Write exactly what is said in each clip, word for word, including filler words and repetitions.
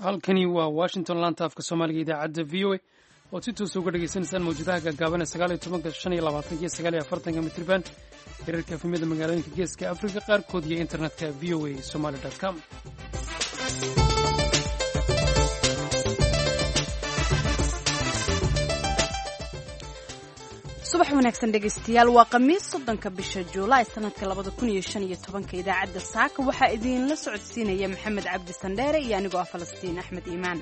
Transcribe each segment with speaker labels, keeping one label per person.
Speaker 1: Halkani waa Washington, laanta afka Soomaaliga, idaacadda V O A ood si toosa uga dhegaysanaysaan mawjadaha gaagaaban ee sagaal iyo tobanka, shan iyo labaatanka iyo sagaal iyo afartanka mitriban, hirarka F M-yada magaalooyinka Geeska Afrika qaarkood iyo internetka V O A Somali com.
Speaker 2: Subax wanaagsan, dhegaystayaal. Waa Khamiis, soddonka bisha Juulaay, sanadka labada kun iyo shan iyo tobanka. Idaacadda saaka waxaa idiinla socodsiinaya Maxamed Cabdi Sandheere iyo anigoo ah Falastiin Axmed Iimaan.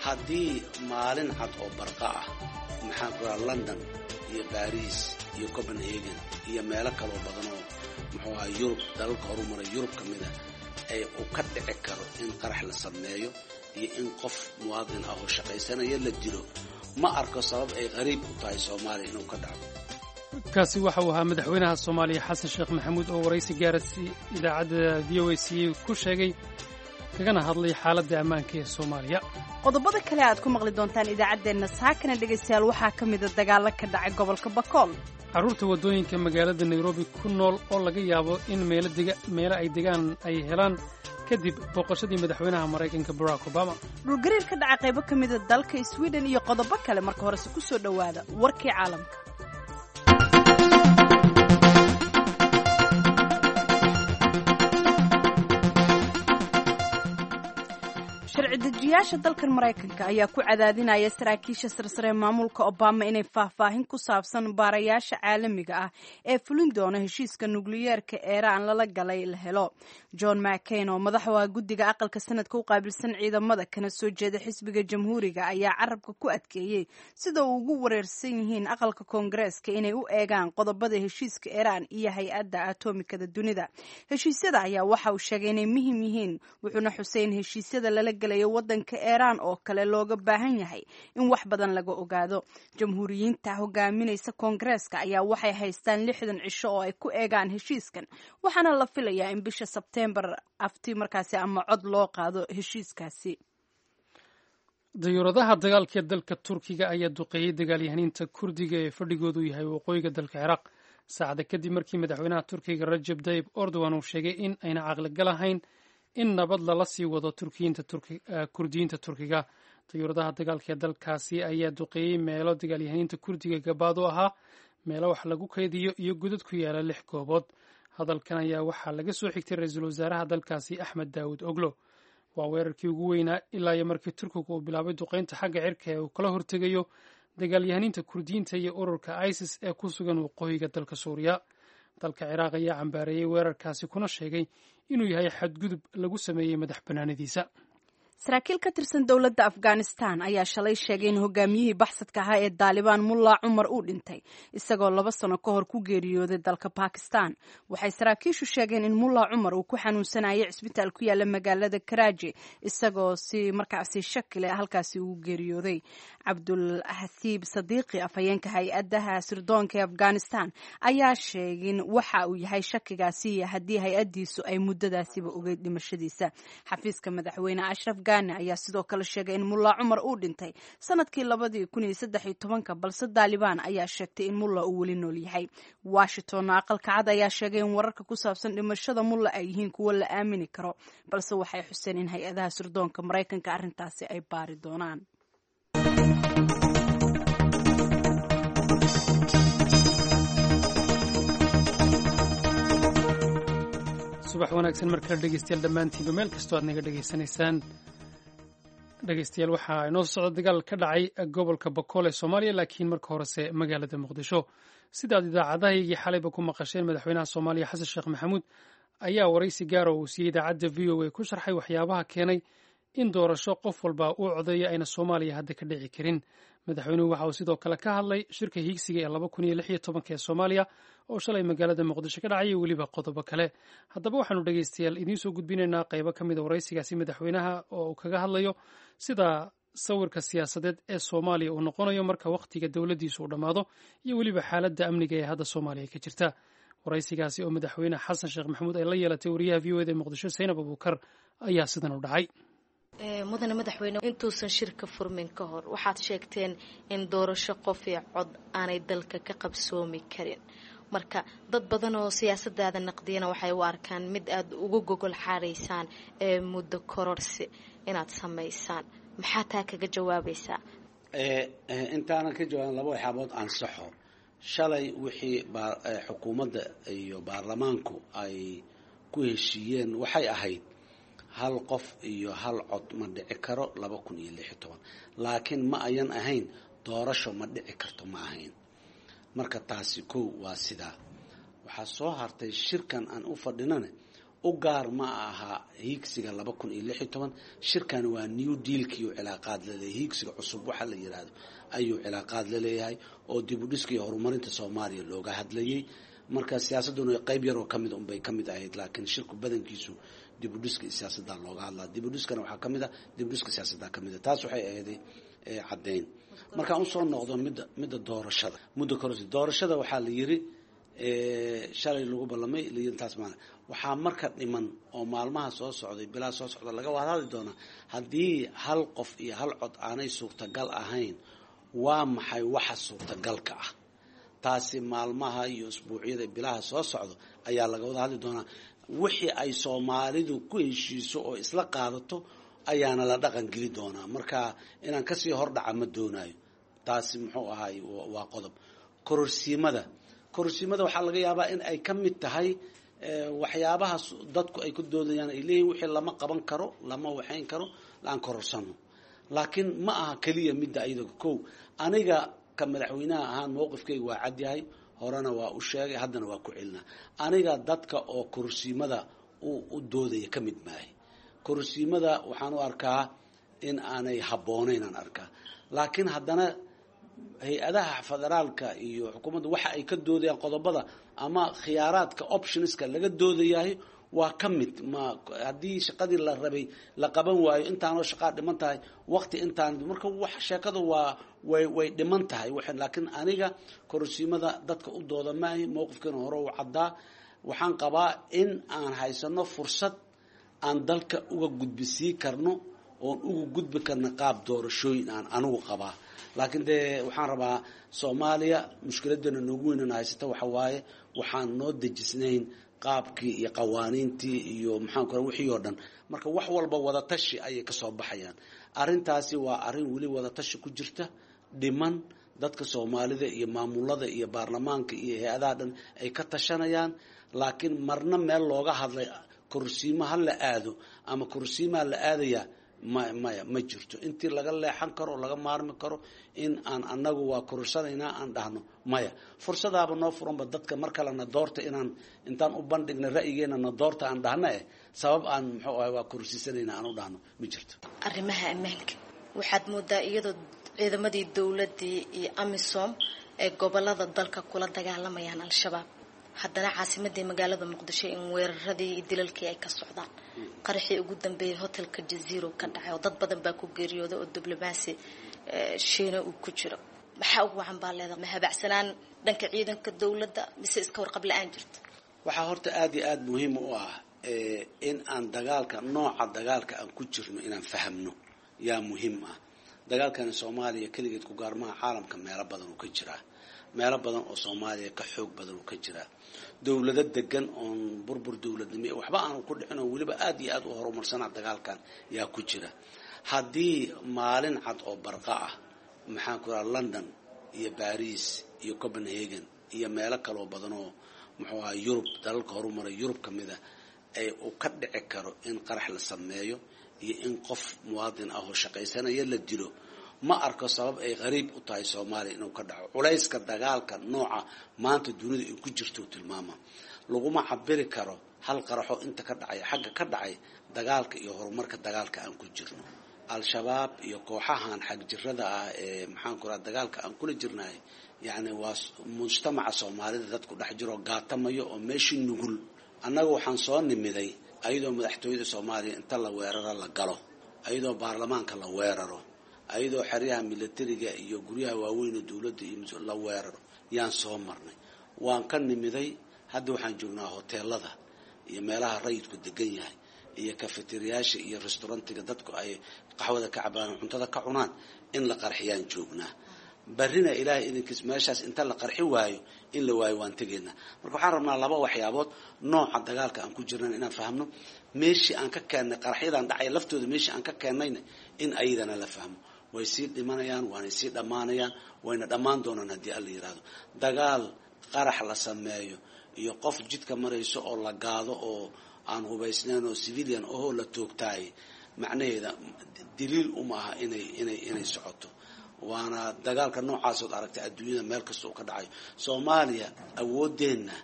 Speaker 3: Haddii maalin cad oo barqa ah, maxaan ku raha, London iyo Baris iyo Copenhagen iyo meelo kaloo badan oo, muxuu ahaa, Yurub, dalalka horumaray Yurub ka mid a, ay uu ka dhici karo in qarax la sameeyo iyo in qof muwaadin ah oo shaqaysanaya la dilo, ma arko sabab ay qariib u tahay Soomaaliya inuu ka dhaco.
Speaker 1: Kaasi waxa uu ahaa madaxweynaha Soomaaliya Xasan Sheekh Maxamuud oo waraysi gaara si idaacadda V O A c ku sheegay kagana hadlay xaaladda ammaanka ee Soomaaliya.
Speaker 2: Qodobada kale aad ku maqli doontaan idaacaddeenna saakana, dhegaystayaal, waxaa ka mida dagaallo ka dhacay gobolka Bakool.
Speaker 1: Carruurta waddooyinka magaalada Nairobi ku nool oo laga yaabo in meelo ay degaan ay helaan kadib booqashadii madaxweynaha Maraykanka Barack Obama.
Speaker 2: Dhulgariir ka dhaca qaybo ka mida dalka Sweden iyo qodobo kale. Marka horese ku soo dhowaada warkii caalamka. Sharci dejiyaasha dalkan Maraykanka ayaa ku cadaadinaya saraakiisha sarsare maamulka Obama inay faahfaahin ku saabsan baarayaasha caalamiga ah ee fulin doona heshiiska nukliyeerka Eeraan lala galay la helo. John McCain, oo madaxu ah guddiga aqalka sanadka u qaabilsan ciidamada kana soo jeeda xisbiga Jamhuuriga, ayaa carabka ku adkeeyey sida uu ugu wareersan yihiin aqalka Koongareeska inay u eegaan qodobada heshiiska Eeraan iyo Hay-adda Atomikada Dunida. Heshiisyada ayaa waxa uu sheegay inay muhiim yihiin, wuxuuna xusay in heshiisyada lala galayo wadanka Eeraan oo kale looga baahan yahay in wax badan laga ogaado. Jamhuuriyiinta hogaaminaysa Koongareeska ayaa waxay haystaan lixdan cisho oo ay ku eegaan heshiiskan, waxaana la filayaa in bisha Sebteembar afti markaasi ama cod loo qaado heshiiskaasi.
Speaker 1: Dayuuradaha dagaalka ee dalka Turkiga ayaa duqeeyey dagaalyahaniinta Kurdiga ee fadhigoodu yahay waqooyiga dalka Ciraaq, saacada kadib markii madaxweynaha Turkiga Rajab Tayib Erdogan uu sheegay in ayna caqligal ahayn in nabad lala sii wado Kurdiyiinta Turkiga. Dayuuradaha dagaalka ee dalkaasi ayaa duqeeyey meelo dagaalyahaniinta Kurdiga gabaad u ahaa, meelo wax lagu kaydiyo iyo godad ku yaala lix goobood. Hadalkan ayaa waxaa laga soo xigtay ra-iisul wasaaraha dalkaasi Axmed Daawud Oglo. Waa weerarkii ugu weynaa ilaa iyo markii Turkigu uu bilaabay duqeynta xagga cirka ee uu kala hortegayo dagaalyahaniinta Kurdiyiinta iyo ururka ISIS ee ku sugan waqooyiga dalka Suuriya. Dalka Ciraaq ayaa cambaareeyey weerarkaasi kuna sheegay inuu yahay xadgudub lagu sameeyey madax bannaanidiisa.
Speaker 2: Saraakiil ka tirsan dowladda Afghanistan ayaa shalay sheegay in hogaamiyihii baxsadka ahaa ee Daalibaan, Mulla Cumar, uu dhintay isagoo laba sano ka hor ku geeriyooday dalka Bakistan. Waxay saraakiishu sheegeen in Mulla Cumar uu ku xanuunsanayay cisbitaal ku yaala magaalada Karaaji, isagoo si markaasi shaki leh halkaasi ugu geeriyooday. Cabdul Hasiib Sadiiqi, afhayeenka hay-adaha sirdoonka ee Afghanistan, ayaa sheegin waxa uu yahay shakigaasi iyo haddii hay-addiisu ay muddadaasiba ogeyd dhimashadiisa. Xafiiska madaxweyne Ashraf ayaa sidoo kale sheegay in Mulla Cumar uu dhintay sanadkii labadii kun iyo saddex iyo tobanka, balse Daalibaan ayaa sheegtay in Mulla uu weli nool yahay. Washingtonna, Aqalka Cad ayaa sheegay in wararka ku saabsan dhimashada Mulla ay yihiin kuwo la aamini karo, balse waxay xuseen in hay-adaha sirdoonka Maraykanka arrintaasi ay baari doonaan.
Speaker 1: Subax wanaagsan markale, dhegeystayaal, dhammaantiinba meel kastoo aad naga dhegeysanaysaan. Dhegeystayaal, waxaa inoo socda dagaal ka dhacay gobolka Bakool ee Soomaaliya, laakiin marka horese magaalada Muqdisho. Sidaad idaacadahaygii xalayba ku maqasheen, madaxweynaha Soomaaliya Xasan Sheekh Maxamuud ayaa waraysi gaara uu siiyey idaacadda V O A ku sharxay waxyaabaha keenay in doorasho qof walba uu codeeyo ayna Soomaaliya hadda ka dhici karin. Madaxweynuhu waxa uu sidoo kale ka hadlay shirka hiigsiga ee laba kun iyo lix iyo tobanka ee Soomaaliya oo shalay magaalada Muqdisho ka dhacay iyo weliba qodobo kale. Haddaba waxaanu, dhegeystayaal, idiin soo gudbinaynaa qaybo ka mid a waraysigaasi madaxweynaha oo uu kaga hadlayo sida sawirka siyaasadeed ee Soomaaliya uu noqonayo marka wakhtiga dowladdiisu uu dhammaado iyo weliba xaaladda amniga ee hadda Soomaaliya ka jirta. Waraysigaasi oo madaxweyne Xasan Sheekh Maxamuud ay la yeelatay wariyaha V O A da ee Muqdisho Saynab Abuukar ayaa sidan u dhacay.
Speaker 4: Mudane madaxweyne, intuusan shirka furmin ka hor waxaad sheegteen in doorasho qof iyo cod aanay dalka ka qabsoomi karin. Marka dad badan oo siyaasadaada naqdiyana waxay u arkaan mid aada uga gogol xaaraysaan ee muddo kororsi inaad samaysaan. Maxaa taa kaga jawaabaysaa?
Speaker 3: Intaanan ka jawaabin laba waxyaabood ansaxo. Shalay wixii xukuumadda iyo baarlamaanku ay ku heshiiyeen waxay ahayd hal qof iyo hal cod ma dhici karo laba kun iyo lix iyo toban, laakiin ma ayan ahayn doorasho ma dhici karto, ma ahayn. Marka taasi kow waa sidaa. Waxaa soo hartay shirkan aan u fadhinane u gaar ma aha hiigsiga laba kun iyo lix iyo toban. Shirkan waa new dealkiiu cilaaqaad laleeyahay, hiigsiga cusub waxa la yiraahdo ayuu cilaaqaad laleeyahay oo dib u dhiska iyo horumarinta Soomaaliya looga hadlayay. Marka siyaasadduna qayb yaroo kamid unbay kamid ahayd, laakiin shirku badankiisu dib u dhiska iyo siyaasadda looga hadlaa. Dib u dhiskana waxaa kamid ah dib u dhiska siyaasadda kamid ah. Taas waxay ahayd caddeyn. Markaan usoo noqdo midda midda doorashada, muddo kororsi doorashada waxaa la yiri shalay lagu ballamay taas maana waxaa marka dhiman oo maalmaha soo socday bilaa soo socda laga wada hadli doonaa haddii hal qof iyo hal cod aanay suurtagal ahayn, waa maxay waxa suurtagalka ah? Taasi maalmaha iyo isbuucyada bilaha soo socdo ayaa laga wada hadli doonaa. Wixii ay Soomaalidu ku heshiiso oo isla qaadato ayaana la dhaqan geli doonaa. Marka inaan kasii hordhaca ma doonayo. Taasi muxuu ahaay waa qodob. Kororsiimada kororsiimada waxaa laga yaabaa in ay ka mid tahay waxyaabaha dadku ay ku doodayaan, ay leeyihin wixii lama qaban karo, lama waxayn karo, aan kororsano. Laakiin ma aha keliya midda ayada. Kow, aniga ka madaxweynaha ahaan mowqifkayga waa cadyahay, horena waa u sheegay, haddana waa ku celinaa. Aniga dadka oo kororsiimada u doodaya ka mid maahay. Kororsiimada waxaan u arkaa in aanay habboonayn aan arkaa, laakiin haddana hay-adaha federaalka iyo xukuumadda waxa ay ka doodayaan qodobada ama khiyaaraadka optionska laga doodayahay waa ka mid. Ma haddii shaqadii la rabay la qaban waayo, intaanoo shaqaa dhiman tahay, waqti intaan marka wax sheekadu waa way way dhiman tahay. Laakiin aniga kororsiimada dadka u dooda maahi. Mowqifkeena hore u caddaa. Waxaan qabaa in aan haysano fursad aan dalka uga gudbisii karno oon uga gudbi karno qaab doorashooyin aan anigu qabaa. Laakiin dee waxaan rabaa Soomaaliya mushkiladana noogu weynana haysata waxa waaye waxaan noo dejisnayn qaabkii iyo qawaaniintii iyo maxaan ku wixii oo dhan. Marka wax walba wadatashi ayay kasoo baxayaan. Arrintaasi waa arrin weli wadatashi ku jirta, dhiman, dadka Soomaalida iyo maamulada iyo baarlamaanka iyo hay-adaha dhan ay ka tashanayaan. Laakiin marna meel looga hadlay kororsiimo ha la aado ama kororsiimaa la aadayaa ma maya ma jirto. Intii laga leexan karo, laga maarmi karo in aan anagu waa kororsanaynaa aan dhahno, maya. Fursadaaba noo furanba dadka mar kalena doorta inaan intaan u bandhigna ra'yigeena na doorta aan dhahna eh sabab aan muxuu ahay waa kororsiisanaynaa aan u dhahno ma jirto.
Speaker 4: Arrimaha ammaanka waxaad moodaa iyadoo ciidamadii dowladdii iyo AMISOM ee gobolada dalka kula dagaalamayaan Al-Shabaab, haddana caasimadii magaalada Muqdisho in weeraradii iyo dilalkii ay ka socdaan. Qaraxii ugu dambeeyay hotelka Jaziiro ka dhacay oo dad badan baa ku geeriyooday oo diblomaasi Shiina uu ku jiro. Maxaa ugu wacan baa leedahay? Ma habacsanaan dhanka ciidanka dowladda mise iska warqab la-aan jirta?
Speaker 3: Waxaa horta aada iyo aada muhiim u ah in aan dagaalka, nooca dagaalka aan ku jirno inaan fahamno yaa muhiim ah. Dagaalkani Soomaaliya keligeed ku gaarmaha, caalamka meelo badan uu ka jiraa, meelo badan oo Soomaaliya ka xoog badan uu ka jiraa. Dowlado degan oon burbur dowladnimo waxba aanu ku dhicin oo weliba aada iyo aada u horumarsanaa dagaalkan yaa ku jira. Haddii maalin cad oo barqa ah maxaan ku raha London iyo Baris iyo Copenhagen iyo meelo kaloo badan oo muxuu ahaa Yurub, dalalka horumaray Yurub ka mid a, ay uu ka dhici karo in qarax la sameeyo iyo in qof muwaadin ah oo shaqaysanaya la dilo, ma arko sabab ay qariib u tahay Soomaaliya inuu ka dhaco. Culayska dagaalka nooca maanta dunida ay ku jirto tilmaama laguma cabiri karo hal qaraxo inta ka dhacay xagga ka dhacay dagaalka iyo horumarka dagaalka aan ku jirno. Al-Shabaab iyo kooxahan xagjirada ah ee maxaan ku raha dagaalka aan kula jirnahay, yacni waa mujtamaca Soomaalida dadku dhex jiro gaatamayo oo meeshii nugul. Annaga waxaan soo nimiday ayadoo madaxtooyada Soomaaliya inta la weeraro la galo, ayadoo baarlamaanka la weeraro, ayadoo xeryaha milatariga iyo guryaha waaweyn oo dowladda iyo la weeraro yaan soo marnay. Waan ka nimiday. Hadda waxaan joognaa hoteelada iyo meelaha rayidku degan yahay iyo kafeteriyaasha iyo restaurantiga dadku ay qaxwada ka cabaan oo cuntada ka cunaan in la qarxiyaan joognaa. Barrina ilaahay idinkiis meeshaas inta la qarxi waayo in la waayo waan tegaynaa. Marka waxaan rabnaa laba waxyaabood, nooca dagaalka aan ku jirnan inaan fahmno, meeshii aan ka keennay qaraxyadan dhacay laftooda, meeshii aan ka keennayna in ayadana la fahmo. Way sii dhimanayaan, waanay sii dhammaanayaan, wayna dhammaan doonaan haddii alla yidhaahdo. Dagaal qarax la sameeyo iyo qof jidka marayso oo la gaado oo aan hubaysnayn oo civilian ohoo la toogtaay, macnaheeda daliil uma aha inay inay inay socoto. Waana dagaalka noocaasood aragtay adduunyada meel kasta uu ka dhacayo. Soomaaliya awooddeenna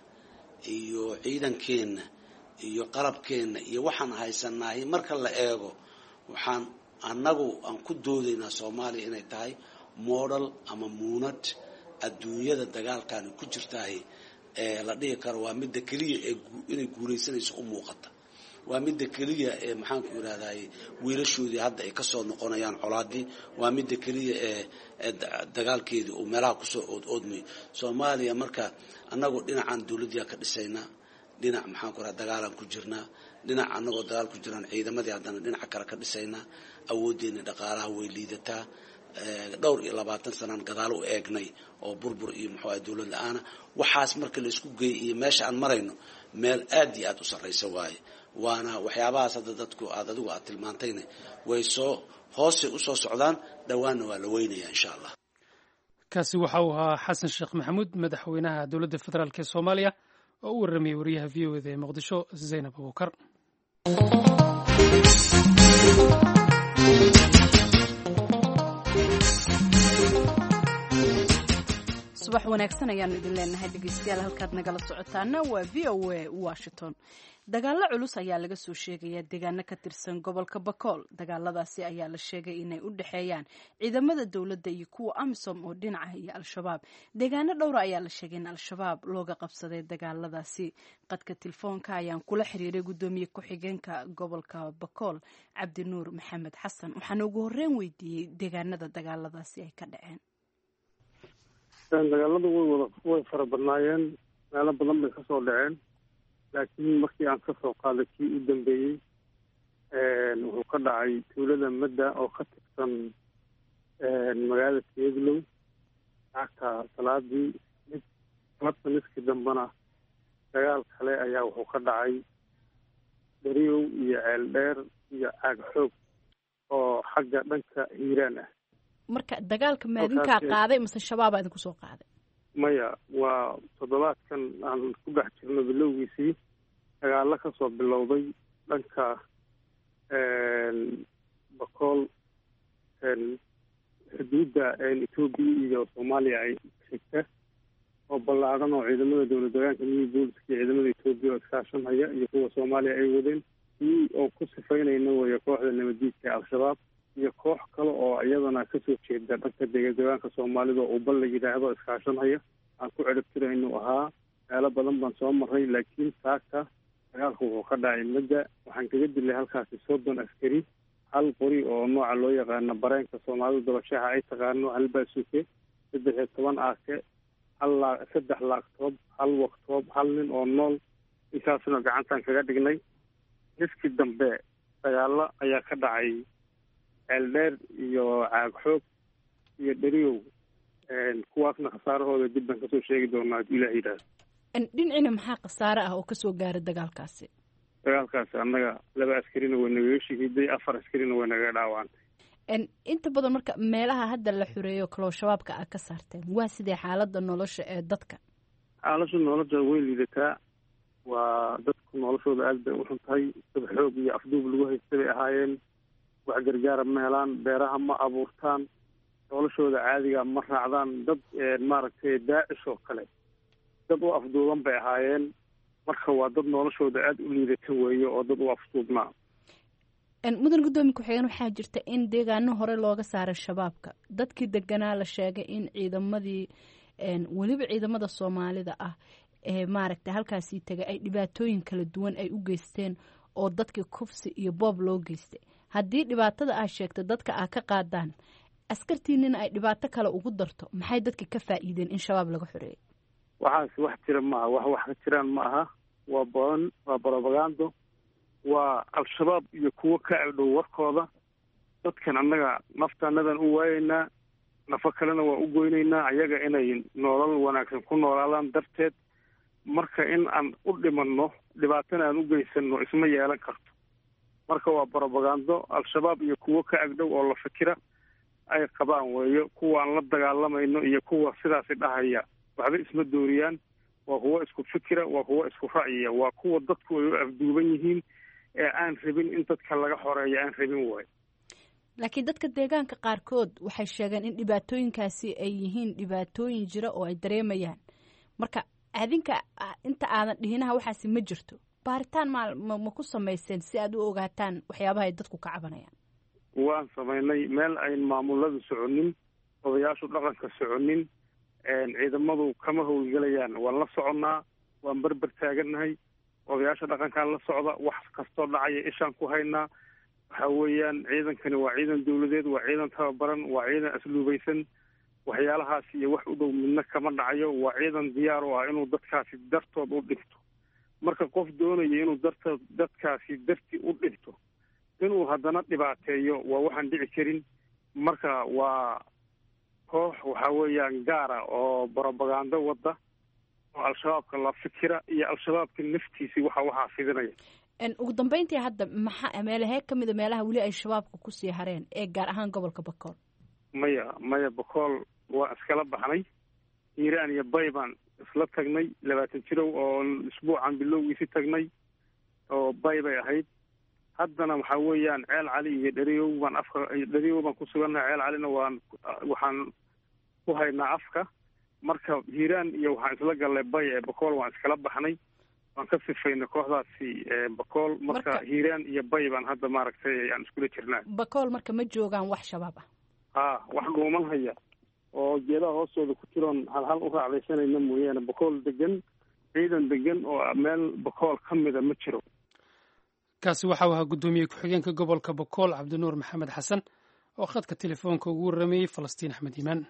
Speaker 3: iyo ciidankeenna iyo qalabkeenna iyo waxaan haysanahay marka la eego, waxaan annagu aan ku doodaynaa Soomaaliya inay tahay model ama muunad adduunyada dagaalkani ku jirtahay ee la dhihi karo waa midda keliya ee inay guulaysanayso u muuqata, waa midda keliya ee maxaanku yidhahdaye wiilashoodii hadda ay kasoo noqonayaan colaadii, waa midda keliya ee dagaalkeedii uu meelaha kusoo ood oodmayo Soomaaliya. Marka annagu dhinacan dawladdiyaa ka dhisaynaa, dhinac maxaanku raha dagaalaan ku jirnaa, dhinac annagoo dagaal ku jiraan ciidamadii haddana dhinaca kale ka dhisaynaa. Awooddeena dhaqaalaha way liidataa, dhowr iyo labaatan sanaan gadaal u eegnay oo burbur iyo muxuu ahay dawlad la-aana. Waxaas marka la isku geeyay iyo meesha aan marayno meel aad iyo aad u sarraysa waaye. Waana waxyaabahaas hadda dadku aad adigu aad tilmaantayna way soo hoosay usoo socdaan, dhowaanna waa la weynayaa insha allah.
Speaker 1: Kaasi waxa uu ahaa Xasan Sheekh Maxamuud, madaxweynaha dowladda federaalk ee Soomaaliya, oo u warramayay wariyaha V O eda ee Muqdisho, Zaynab Abuukar.
Speaker 2: Subax wanaagsan ayaanu idin leenahay dhegeystayaal, halkaad nagala socotaana waa V O A Washington. Dagaalo culus ayaa laga soo sheegayaa deegaano ka tirsan gobolka Bakool. Dagaaladaasi ayaa la sheegay inay u dhexeeyaan ciidamada dowladda iyo kuwa AMISOM oo dhinaca iyo Al-Shabaab. Deegaano dhowra ayaa la sheegay in Al-Shabaab looga qabsaday dagaaladaasi. Qadka telefoonka ayaan kula xiriiray guddoomiye ku-xigeenka gobolka Bakool, Cabdinuur Maxamed Xasan, waxaana ugu horreyn weydiiyey deegaanada dagaaladaasi ay ka dhaceen.
Speaker 5: Dagaaladu way wada way fara badnaayeen, meelo badan bay kasoo dhaceen, laakiin markii aan kasoo qaaday kii u dambeeyey wuxuu ka dhacay tuulada Madda oo ka tirsan magaalada Siyadlow lacagta salaadii mid labta niskii dambena dagaal kale ayaa wuxuu ka dhacay Dariyow iyo Ceel Dheer iyo Caag Xoog oo xagga dhanka Hiiraan ah.
Speaker 2: Marka dagaalka maadinkaa qaaday mase Shabaabaa idinku soo qaaday?
Speaker 5: Maya, waa toddobaadkan aan ku dhex jirno bilowgiisii dagaalo kasoo bilowday dhanka Bakool, xuduudda Etoobiya iyo Soomaaliya ay xigta oo ballaadhan, oo ciidamada dowlad deegaanka new booliska iyo ciidamada Etoobiya oo iskaashanhaya iyo kuwa Soomaaliya ay wadeen, kii oo ku sifaynayna weeye kooxda nabadiidka ee Al-Shabaab iyo koox kale oo iyadana kasoo jeeda dhanka deegaanka Soomaalida oo ubal la yidhaahdo iskaashanhaya aan ku ciribtira inuu ahaa. Meelo badan baan soo maray, laakiin saaka dagaalku wuxuu ka dhacay Madda. Waxaan kaga dilay halkaasi soddon askari, hal qori oo nooca loo yaqaano bareenka Soomaalida dabashaxa ay taqaano, hal baasuke, saddex iyo toban aake, hal laa saddex laagtoob, hal waktoob, hal nin oo nool. Intaasna gacantaan kaga dhignay. Niskii dambe dagaalo ayaa ka dhacay Ceeldheer iyo Caag Xoog iyo Dheriyow, kuwaasna khasaarahooda dib baan kasoo sheegi doonaa hadduu ilaah yidhaahdo.
Speaker 2: Dhinacina maxaa khasaare ah oo kasoo gaaray dagaalkaasi?
Speaker 5: Dagaalkaasi annaga laba askarina way nagaga shahiiday, afar askarina way nagaga dhaawacantay.
Speaker 2: Inta badan marka meelaha hadda la xureeyo kaloo Shabaabka aad ka saarteen, waa sidee xaaladda nolosha ee dadka?
Speaker 5: Xaaladda nolosha way liidataa, waa dadku noloshooda aad bay u xun tahay. Dad xoog iyo afduub lagu haysta bay ahaayeen, wax gargaara ma helaan, beeraha ma abuurtaan, noloshooda caadiga ma raacdaan. Dad maaragtay Daacish oo kale dad u afduuban bay ahaayeen. Marka waa dad noloshooda aada u liidata weeye oo dad u afduubnaa.
Speaker 2: Mudan guddoomiye ku-xigeen, waxaa jirta in deegaano hore looga saaray Shabaabka, dadkii deganaa la sheegay in ciidamadii, weliba ciidamada Soomaalida ah ee maaragtay halkaasii tegay, ay dhibaatooyin kala duwan ay u geysteen oo dadkii kufsi iyo boob loo geystay. Haddii dhibaatada aad sheegta dadka aad ka qaadaan, askartiinina ay dhibaato kale ugu darto, maxay dadka ka faa'iideen in Shabaab laga xoreeyay?
Speaker 5: Waxaas wax jira maaha, wax wax ka jiraan ma aha. Waa boon, waa brobagando, waa Al-Shabaab iyo kuwo ka agdhow warkooda. Dadkan annaga naftaanadan u waayeynaa, Nafo kalena waa u goynaynaa ayaga inay nolol wanaagsan ku noolaadaan darteed. Marka in aan u dhimanno, dhibaatana aan u geysano, isma yeelan karto. Marka waa brobagando Al-Shabaab iyo kuwo ka agdhow oo la fikira ay qabaan weeyo. Kuwa aan la dagaalamayno iyo kuwa sidaasi dhahaya waxba isma dooriyaan. Waa kuwo isku fikira, waa kuwo isku ra'yiya, waa kuwa dadku ay u afduuban yihiin ee aan rabin in dadka laga xoreeyo, aan rabin waayo.
Speaker 2: Laakiin dadka deegaanka qaarkood waxay sheegeen in dhibaatooyinkaasi ay yihiin dhibaatooyin jira oo ay dareemayaan. Marka adinka inta aadan dhihinaha waxaasi ma jirto, baaritaan ma ma ku samayseen si aad u ogaataan waxyaabaha ay dadku ka cabanayaan?
Speaker 5: Waan samaynay. Meel ayn maamuladu soconin, odayaashu dhaqanka soconin, ciidamadu kama howlgelayaan. Waan la soconnaa, waan berber taagannahay. Odayaasha dhaqankaan la socda, wax kastoo dhacaya ishaan ku haynaa. Waxa weeyaan ciidankani waa ciidan dawladeed, waa ciidan tababaran, waa ciidan asluubaysan. Waxyaalahaas iyo wax u dhow midna kama dhacayo. Waa ciidan diyaar u ah inuu dadkaasi dartood u dhinto. Marka qof doonaya inuu dartood dadkaasi darti u dhinto, inuu haddana dhibaateeyo, waa waxaan dhici karin. Marka waa koox waxa weeyaan gaara oo brobagando wadda oo Al-Shabaabka la fikira iyo Al-Shabaabka naftiisii waxa waxaa fidinaya.
Speaker 2: Ugu dambeyntii, hadda maxaa meelahee ka mida meelaha weli ay Shabaabka kusii hareen ee gaar ahaan gobolka Bakool?
Speaker 5: Maya, maya, Bakool waa iskala baxnay. Hiiraan iyo Bay baan isla tagnay labaatan jirow oo isbuucan bilowgiisi tagnay oo Bay bay ahayd. Haddana waxaa weeyaan Ceel Cali iyo Dheriyow baan afka, Dheriyow baan ku sugannahay. Ceel Calina waan waxaan ku haynaa afka. Marka Hiiraan iyo waxaan isla gallay Bay ee Bakool waan iskala baxnay, waan ka sifaynay kooxdaasi Bakool. Marka Hiiraan iyo Bay baan hadda maaragtay aan iskula jirnaa.
Speaker 2: Bakool marka ma joogaan wax Shabaab ah?
Speaker 5: Ha, wax dhuuman haya oo geedaha hoostooda ku jiroon halhal u raacdaysanayna mooyaane, Bakool degan, ciidan degan oo meel Bakool ka mida ma jiro.
Speaker 1: Kaasi waxau ahaa guddoomiye ku-xigeenka gobolka Bakool, Cabdinuur Maxamed Xasan, oo khadka telefoonka ugu warramayey Falastiin Axmed Iimaan.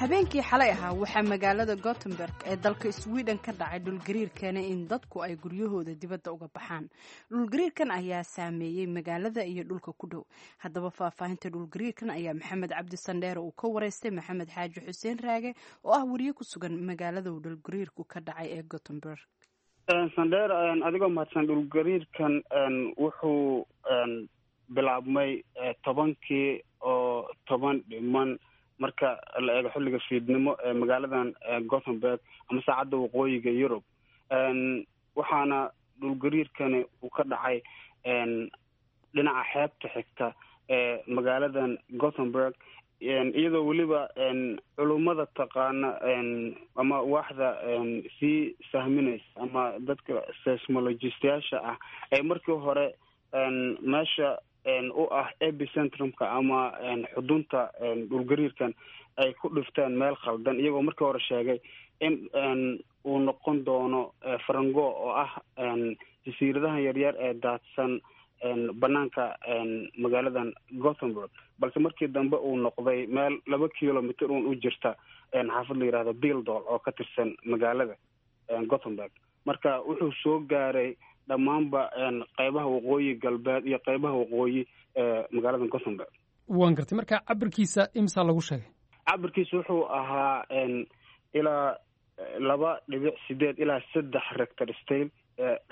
Speaker 2: Habeenkii xalay ahaa waxaa magaalada Gothenburg ee dalka Sweden ka dhacay dhulgariir keenay in dadku ay guryahooda dibadda uga baxaan. Dhulgariirkan ayaa saameeyey magaalada iyo dhulka ku dhow. Haddaba faahfaahinta dhulgariirkan ayaa Maxamed Cabdi Sandheere uu ka wareystay Maxamed Xaaji Xuseen Raage oo ah wariye ku sugan magaalada uu dhulgariirku ka dhacay ee Gothenburg.
Speaker 6: Sandheer, adigoo mahadsan, dhulgariirkan wuxuu bilaabmay tobankii oo toban dhiman marka la eego xilliga fiidnimo ee magaaladan Gothenburg ama saacadda waqooyiga Yurub. Waxaana dhulgariirkani uu ka dhacay dhinaca xeebta xigta ee magaaladan Gothenburg, iyadoo weliba culummada taqaana ama waaxda sii sahminaysa ama dadka seismologistayaasha ah ay markii hore meesha u ah epicentrumka ama xudunta dhulgariirkan ay ku dhifteen meel khaldan, iyagoo markii hore sheegay in uu noqon doono Farango oo ah jasiiradahan yaryar ee daadsan banaanka magaaladan Gothenburg, balse markii dambe uu noqday meel laba kilomitr uun u jirta xaafad la yihahdo Bildol oo ka tirsan magaalada Gothenburg. Marka wuxuu soo gaaray dhammaanba qeybaha waqooyi galbeed iyo qeybaha waqooyi ee magaalada Gothenburg.
Speaker 1: Waan gartay. Marka cabirkiisa imsaa lagu sheegay?
Speaker 6: Cabirkiisa wuxuu ahaa ilaa laba dhibic sideed ilaa saddex rector scale,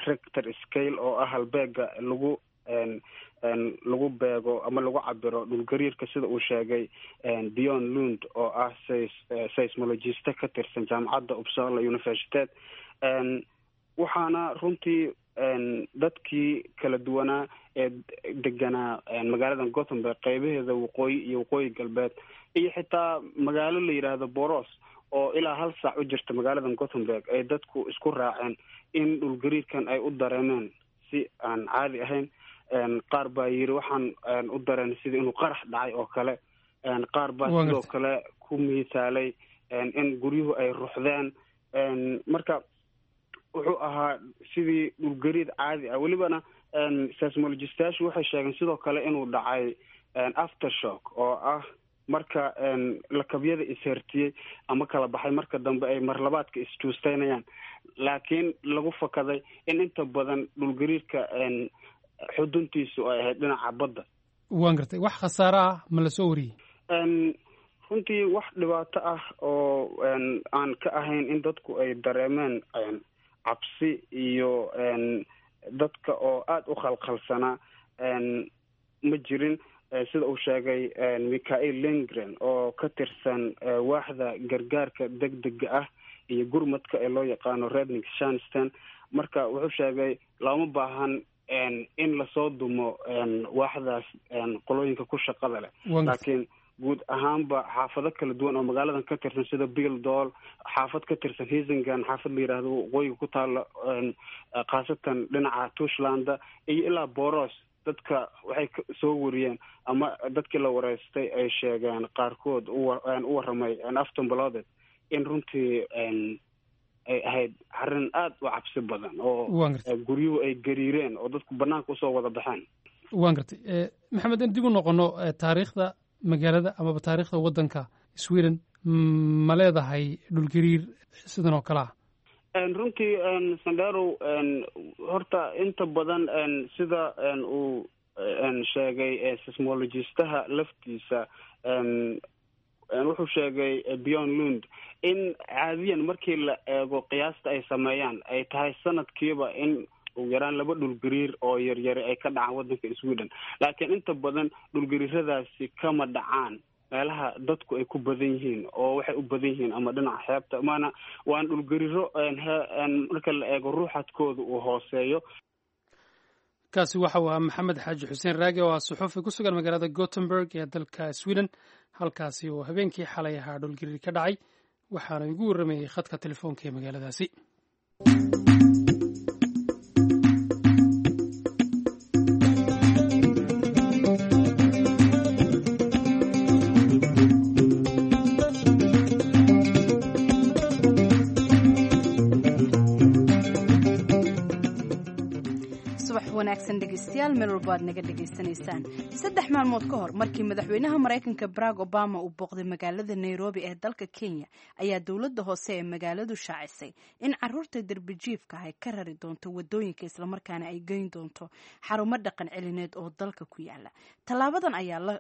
Speaker 6: rector scale oo ah halbeega lagu lagu beego ama lagu cabiro dhulgariirka, sida uu sheegay Dion Lund oo ah seismologiste ka tirsan jaamacadda Uppsala Universitet. Waxaana runtii dadkii kala duwanaa ee deganaa magaaladan Gothenburg qeybaheeda waqooyi iyo waqooyi galbeed iyo xitaa magaalo la yidhaahdo Boros oo ilaa hal saac u jirta magaaladan Gothenburg ay dadku isku raaceen in dhulgariirkan ay u dareemeen si aan caadi ahayn. Qaar baa yiri waxaan u dareenay sidii inuu qarax dhacay oo kale, qaar baa sidoo kale ku miisaalay in guryuhu ay ruxdeen. Marka wuxuu ahaa sidii dhulgariir caadi ah. Welibana seismologistayaashu waxay sheegeen sidoo kale inuu dhacay aftershock oo ah marka lakabyada ishertiyey ama kala baxay marka dambe ay marlabaadka isjuusteynayaan, Laakiin lagu fakaday in inta badan dhulgariirka xuduntiisu ay ahayd dhinaca badda.
Speaker 1: Waan gartay. Wax khasaare ah ma lasoo wariyey?
Speaker 6: Runtii wax dhibaato ah oo aan ka ahayn in dadku ay dareemeen cabsi iyo dadka oo aada u khalkhalsanaa ma jirin, sida uu sheegay Michael Lindgren oo ka tirsan waaxda gargaarka degdega ah iyo gurmadka ee loo yaqaano Räddningstjänsten. Marka wuxuu sheegay looma baahan in lasoo dumo waaxdaas qolooyinka ku shaqada leh, laakiin guud ahaanba xaafado kala duwan oo magaaladan ka tirsan sida Billdal, xaafad ka tirsan Hisingen, xaafad la yidhaahdo waqooyiga ku taala, khaasatan dhinaca Torslanda iyo ilaa Borås, dadka waxay soo wariyeen ama dadkii la wareystay ay sheegeen qaarkood u warramay Aftonbladet in runtii ay ahayd arrin aada u cabsi badan oo guryuhu ay gariireen oo dadku banaanka usoo wada baxeen.
Speaker 1: Waan gartay. Maxamed, in dib u noqono taariikhda magaalada amaba taariikhda waddanka Sweden, ma leedahay dhulgariir sidan oo kale ah?
Speaker 6: Runtii Sandherow, horta inta badan sida uu sheegay seismologistaha laftiisa, wuxuu sheegay Björn Lund in caadiyan markii la eego qiyaasta ay sameeyaan ay tahay sanadkiiba in ugu yaraan laba dhulgariir oo yaryari ay ka dhacaan waddanka Sweden, laakiin inta badan dhulgariiradaasi kama dhacaan meelaha dadku ay ku badan yihiin oo waxay u badan yihiin ama dhinaca xeebta, maana waan dhulgariiro marka la eego ruuxadkooda uu hooseeyo.
Speaker 1: Kaasi waxa uu ahaa Maxamed Xaaji Xuseen Raage oo ah suxuufi ku sugan magaalada Gothenburg ee dalka Sweden, halkaasi oo habeenkii xalay ahaa dhulgariir ka dhacay, waxaana igu warramayey khadka telefoonka ee magaaladaasi.
Speaker 2: Wanaagsan dhegeystayaal, meel walba aad naga dhegaysanaysaan. Saddex maalmood ka hor markii madaxweynaha Maraykanka Barack Obama uu booqday magaalada Nairobi ee dalka Kenya, ayaa dowladda hoose ee magaaladu shaacisay in caruurta derbijiifka ay ka rari doonto wadooyinka, islamarkaana ay geyn doonto xarumo dhaqan celineed oo dalka ku yaala. Tallaabadan ayaa la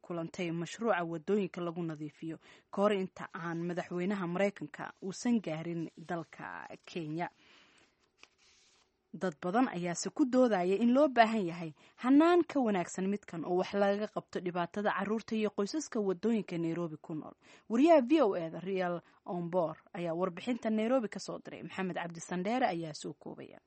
Speaker 2: kulantay mashruuca wadooyinka lagu nadiifiyo ka hor inta aan madaxweynaha Maraykanka uusan gaarin dalka Kenya. Dad badan ayaase ku doodaya in loo baahan yahay hanaan ka wanaagsan midkan oo wax lagaga qabto dhibaatada caruurta iyo qoysaska wadooyinka Nairobi ku nool. Wariyaha V O E da Real Ombor ayaa warbixinta Nairobi ka soo diray. Maxamed Cabdi Sandheere ayaa soo koobaya.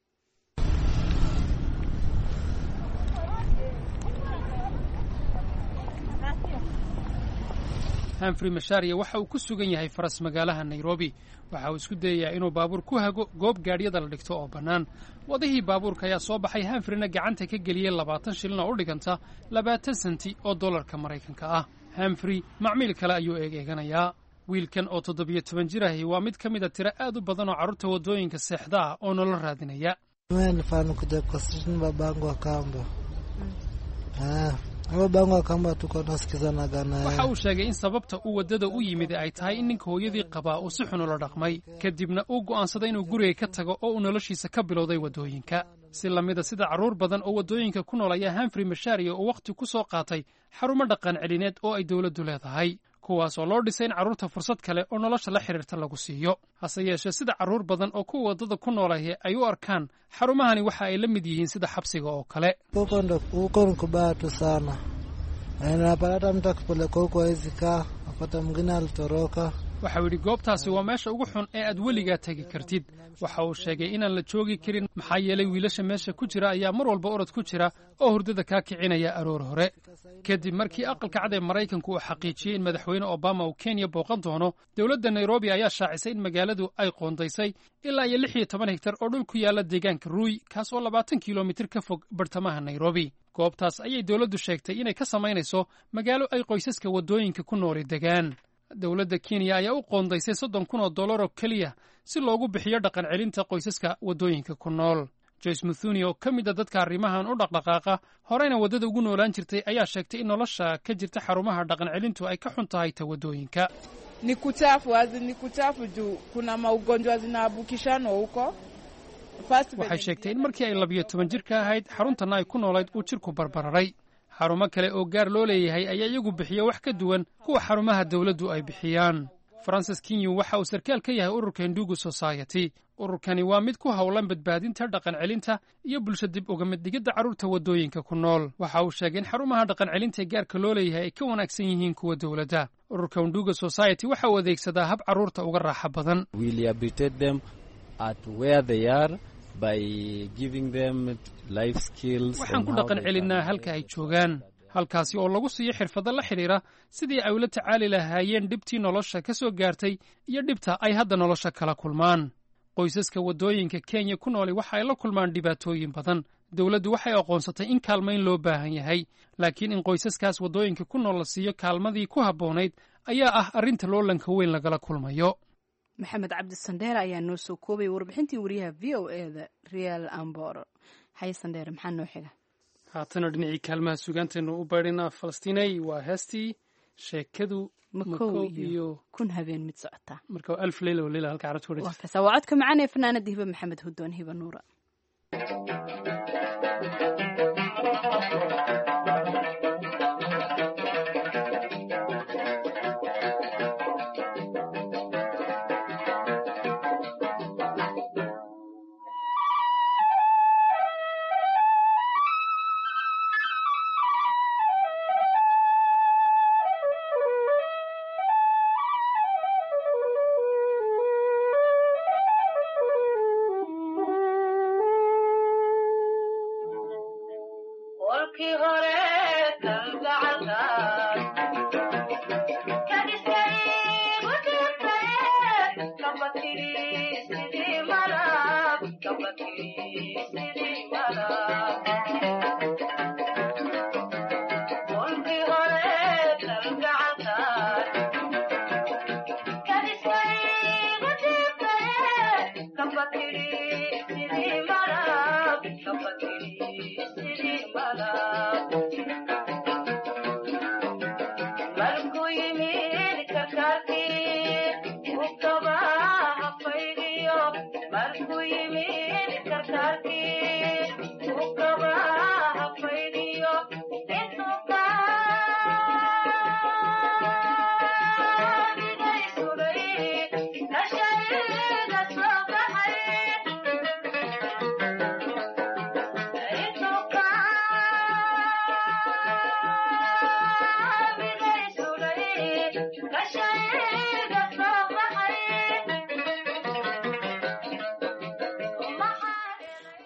Speaker 1: Humphrey Macharia waxa uu ku sugan yahay faras magaalaha Nairobi. Waxa uu isku dayayaa inuu baabuur ku hago goob gaadhyada la dhigto oo bannaan. Wadihii baabuurka ayaa soo baxay, Humphreyna gacanta ka geliyey labaatan shilin oo u dhiganta labaatan senti oo dollarka Maraykanka ah. Humphrey macmiil kale ayuu eeg-eeganayaa. Wiilkan oo toddobiyo toban jir ahi waa mid ka mid a tiro aad u badan oo carruurta waddooyinka seexda ah oo nolol raadinaya. Waxa uu sheegay in sababta uu waddada u yimid ay tahay in ninka hooyadii qabaa uu si xun ula dhaqmay, kadibna uu go'aansaday inuu guriga ka tago oo uu noloshiisa ka bilowday waddooyinka. Si lamida sida carruur badan oo waddooyinka ku nool ayaa Humphrey Macharia uu wakhti ku soo qaatay xarumo dhaqan celineed oo ay dowladdu leedahay, kuwaas oo loo dhisay in carruurta fursad kale oo nolosha la xidhiirta lagu siiyo. Hase yeeshee, sida carruur badan oo kuwa waddada ku noolahi ay u arkaan xarumahani waxa ay la mid yihiin sida xabsiga oo kale. Waxau yidhi goobtaasi waa meesha ugu xun ee aad weligaa tegi kartid. Waxa uu sheegay inaan la joogi karin, maxaa yeelay wiilasha meesha ku jira ayaa mar walba orod ku jira oo hurdada kaa kicinaya aroor hore. Kadib markii aqalka cad ee Maraykanku uu xaqiijiyey in madaxweyne Obama uu Kenya booqan doono, dowladda Nairobi ayaa shaacisay in magaaladu ay qoondaysay ilaa iyo lix iyo toban hektar oo dhul ku yaala deegaanka Ruy, kaas oo labaatan kilomitir ka fog bartamaha Nairobi. Goobtaas ayay dowladdu sheegtay inay ka samaynayso magaalo ay qoysaska waddooyinka ku nooli degaan. Dowladda Kenya ayaa u qoondaysay soddon kun oo dollar oo keliya si loogu bixiyo dhaqan celinta qoysaska waddooyinka ku nool. Joyce Muthuni oo ka mid a dadka arrimahan u dhaqdhaqaaqa, horeyna waddada ugu noolaan jirtay, ayaa sheegtay in nolosha ka jirta xarumaha dhaqan celintu ay ka xun tahay ta waddooyinka.
Speaker 7: Ni kuchafu, azi ni kuchafu juu kuna maugonjwa zinaambukishanwa huko.
Speaker 1: Waxay sheegtay in markii ay labiyo toban jirka ahayd xaruntanna ay ku noolayd uu jirku barbararay. Xarumo kale oo gaar loo leeyahay ayaa iyagu bixiya wax ka duwan kuwa xarumaha dawladdu ay bixiyaan. Francis Kinyu waxa uu sarkaal ka yahay ururka Ndugu Society. Ururkani waa mid ku howlan badbaadinta, dhaqan celinta iyo bulsho dib uga mid dhigidda carruurta waddooyinka ku nool. Waxa uu sheegay in xarumaha dhaqan celinta ee gaarka loo leeyahay ay ka wanaagsan yihiin kuwa dowladda. Ururka Ndugu Society waxa uu adeegsadaa hab carruurta uga raaxo badan. Waxaan ku dhaqan celinnaa halka ay joogaan, halkaasi oo lagu siiyo xirfado la xidhiira sidii ay ula tacaali lahaayeen dhibtii nolosha ka soo gaartay iyo dhibta ay hadda nolosha kala kulmaan. Qoysaska waddooyinka Kenya ku nooli waxa ay la kulmaan dhibaatooyin badan. Dowladdu waxay aqoonsatay in kaalmayn loo baahan yahay, laakiin in qoysaskaas waddooyinka ku nool la siiyo kaalmadii ku habboonayd ayaa ah arrinta loolanka weyn lagala kulmayo.
Speaker 2: Maxamed Cabdi Sandheere ayaa noo soo koobay warbixintii wariyaha V O E da Real Ambor. Haye Sandheere, maxaa noo xiga?
Speaker 1: Haatana dhinacii kaalmaha sugaanteennu u baydhinaa Falastiinay, waa heestii sheekadu
Speaker 2: Makow iyo kun habeen mid socotaa.
Speaker 1: Marka alf leyla waleyla halka carabta ku
Speaker 2: dhigta. Waa codka macaan ee fanaanada Hiba Maxamed Hudoon, Hiba Nuura.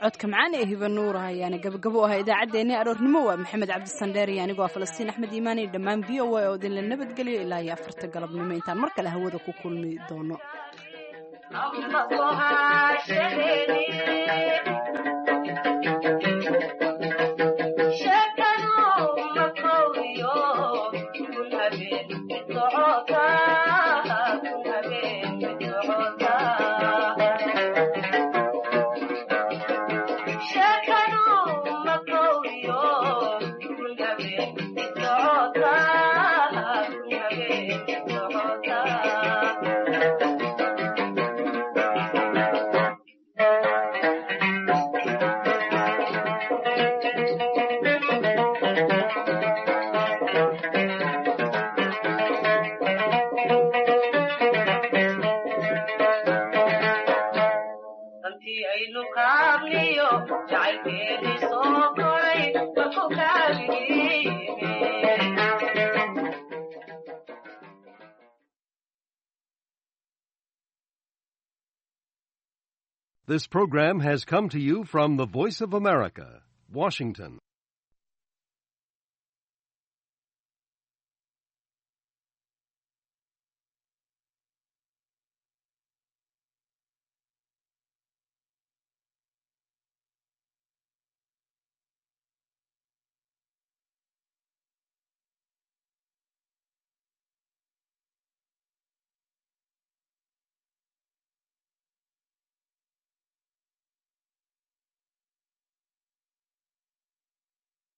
Speaker 2: Codka macaan ee Hiba Nuura ayaana gabagabo u ahaa idaacaddeenii aroornimo. Waa Maxamed Cabdi Sandheer iyo anigoo ah Falastiin Axmed Iimaan iyo dhammaan V O A oo idinla nabadgeliyo ilaa iyo afarta galabnimo intaan mar kale hawada ku kulmi doono.
Speaker 8: This program has come to you from the Voice of America, Washington.